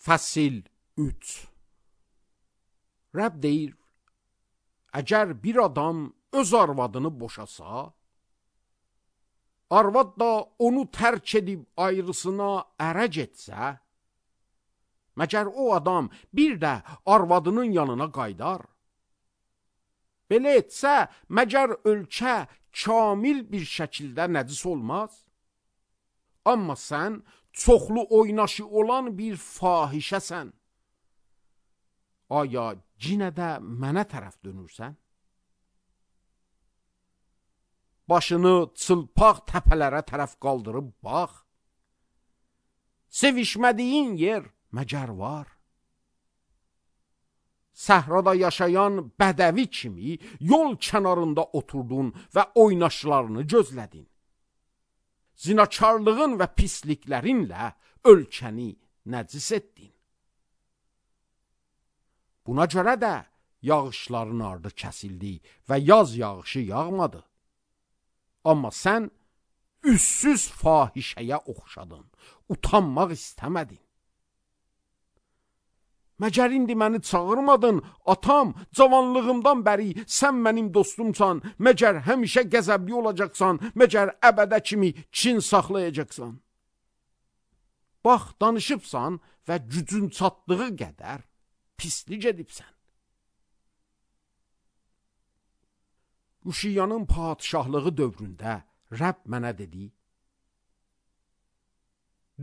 Fəsil 3. Rəbb deyir, əgər bir adam öz arvadını boşasa, arvad da onu tərk edib ayrısına ərə getsə, məgər o adam bir də arvadının yanına qaydar? Belə etsə, məgər ölkə kamil bir şəkildə nəcis olmaz? Amma sən çoxlu oynaşı olan bir fahişəsən. Aya cinə də mənə tərəf dönürsən? Başını çılpaq təpələrə tərəf qaldırıb bax. Sevişmədiyin yer məgər var? Səhrada yaşayan bədəvi kimi yol kənarında oturdun və oynaşlarını gözlədin. Zinakarlığın və pisliklərinlə ölkəni nəcis etdin. Buna görə də yağışların ardı kəsildi və yaz yağışı yağmadı. Amma sən üssüz fahişəyə oxşadın, utanmaq istəmədin. Məgər indi məni çağırmadın, atam, cavanlığımdan bəri sən mənim dostumsan, məgər həmişə qəzəbli olacaqsan, məgər əbədə kimi kin saxlayacaqsan. Bax, danışıbsan və gücün çatdığı qədər pislik edibsən. Uşiyanın padişahlığı dövründə Rəbb mənə dedi,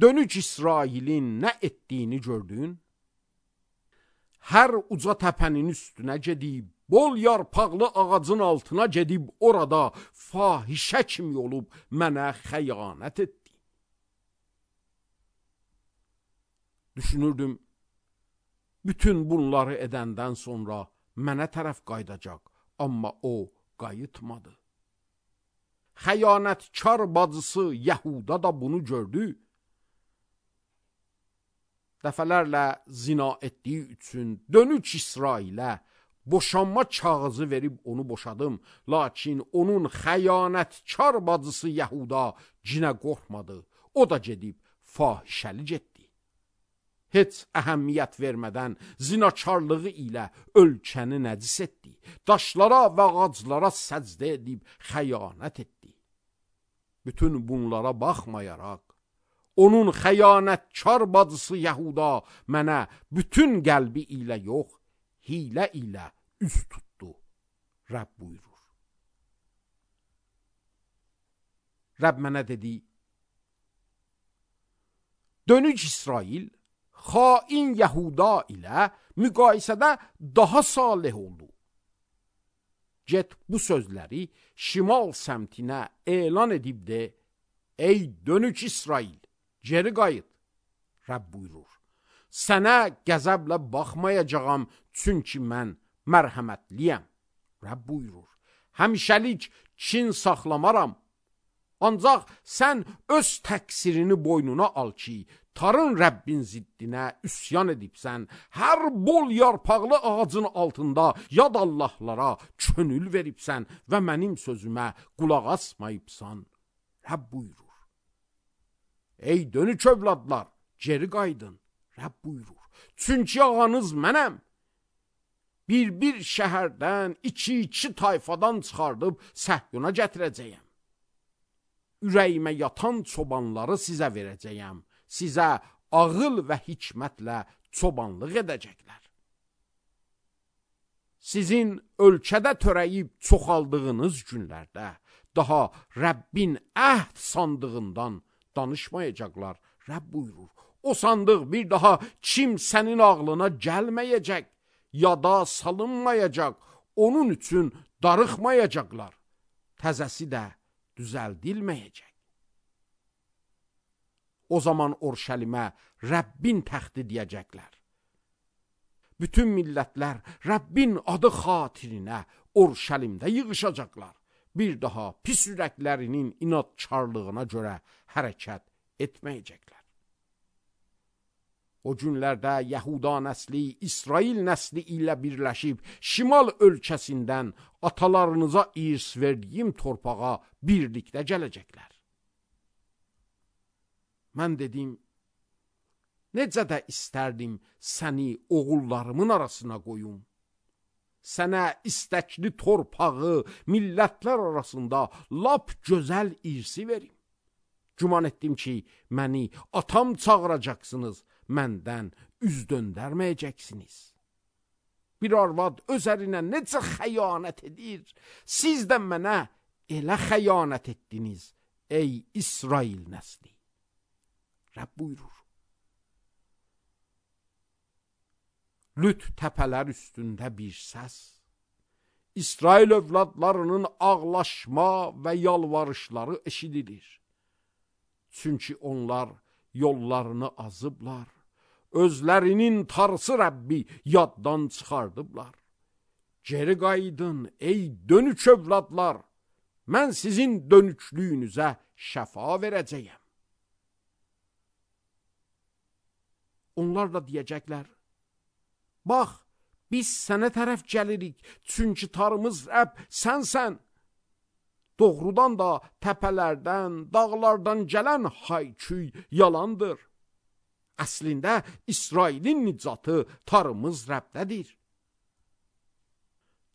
dönük İsrailin nə etdiyini gördün? Hər uca təpənin üstünə gedib, bol yarpaqlı ağacın altına gedib, orada fahişə kimi olub mənə xəyanət etdi. Düşünürdüm, bütün bunları edəndən sonra mənə tərəf qaydacaq, amma o qayıtmadı. Xəyanətkar bacısı Yəhuda da bunu gördü. Dəfələrlə zina etdiyi üçün dönük İsrailə boşanma kağızı verib onu boşadım. Lakin onun xəyanətkar bacısı Yəhuda cinə qorxmadı. O da gedib fahişəlik etdi. Heç əhəmiyyət vermədən zinakarlığı ilə ölkəni nəcis etdi. Daşlara və ağaclara səcdə edib xəyanət etdi. Bütün bunlara baxmayaraq, onun xəyanətkar bacısı Yəhuda mənə bütün qəlbi ilə yox, hilə ilə üz tutdu. Rəbb buyurur. Rəbb mənə dedi, dönük İsrail, xain Yəhuda ilə müqayisədə daha salih oldu. Get bu sözləri şimal səmtinə elan edib de, ey dönük İsrail, geri qayıt. Rəbb buyurur. Sənə qəzəblə baxmayacağam, çünki mən mərhəmətliyəm. Rəbb buyurur. Həmişəlik kin saxlamaram. Ancaq sən öz təqsirini boynuna al ki, tarın Rəbbin ziddinə üsyan edibsən, hər bol yarpaqlı ağacın altında yad Allahlara könül veribsən və mənim sözümə qulaq asmayıbsan. Rəbb buyurur. Ey dönük övladlar, geri qaydın. Rəbb buyurur. Çünki ağanız mənəm. Bir şəhərdən, iki tayfadan çıxardıb Səhyona gətirəcəyəm. Ürəyimə yatan çobanları sizə verəcəyəm. Sizə ağıl və hikmətlə çobanlıq edəcəklər. Sizin ölkədə törəyib çoxaldığınız günlərdə daha Rəbbin əhd sandığından danışmayacaqlar. Rəbb buyurur. O sandıq bir daha kimsənin ağlına gəlməyəcək, yada salınmayacaq, onun üçün darıxmayacaqlar. Təzəsi də düzəldilməyəcək. O zaman Orşəlimə Rəbbin təxti deyəcəklər. Bütün millətlər Rəbbin adı xatirinə Orşəlimdə yığışacaqlar. Bir daha pis ürəklərinin inadkarlığına görə hərəkət etməyəcəklər. O günlərdə Yəhuda nəsli İsrail nəsli ilə birləşib şimal ölkəsindən atalarınıza irs verdiyim torpağa birlikdə gələcəklər. Mən dedim, necə də istərdim səni oğullarımın arasına qoyum. Sənə istəkli torpağı millətlər arasında lap gözəl irsi verim. Güman etdim ki, məni atam çağıracaqsınız, məndən üz döndərməyəcəksiniz. Bir arvad öz ərinə necə xəyanət edir, siz də mənə elə xəyanət etdiniz, ey İsrail nəsli. Rəbb buyurur. Lüt təpələr üstündə bir səs, İsrail övladlarının ağlaşma və yalvarışları eşidilir. Çünki onlar yollarını azıblar, özlərinin tarısı Rəbbi yaddan çıxardıblar. Geri qayıdın ey dönük övladlar, mən sizin dönüklüyünüzə şəfa verəcəyəm. Onlar da deyəcəklər, bax, biz sənə tərəf gəlirik, çünki tarımız Rəbb sənsən. Doğrudan da təpələrdən, dağlardan gələn hay-küy yalandır. Əslində İsrailin nicatı tarımız Rəbdədir.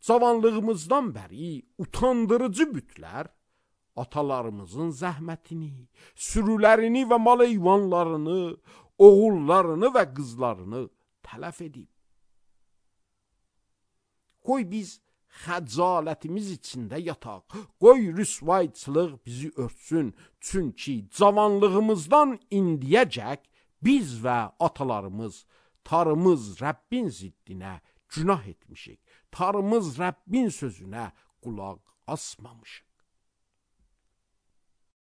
Cavanlığımızdan bəri utandırıcı bütlər atalarımızın zəhmətini, sürülərini və mal heyvanlarını, oğullarını və qızlarını tələf edib. Qoy biz xəcalətimiz içində yataq, qoy rüsvayçılıq bizi örtsün, çünki cavanlığımızdan indiyəcək biz və atalarımız tarımız Rəbbin ziddinə günah etmişik, tarımız Rəbbin sözünə qulaq asmamışıq.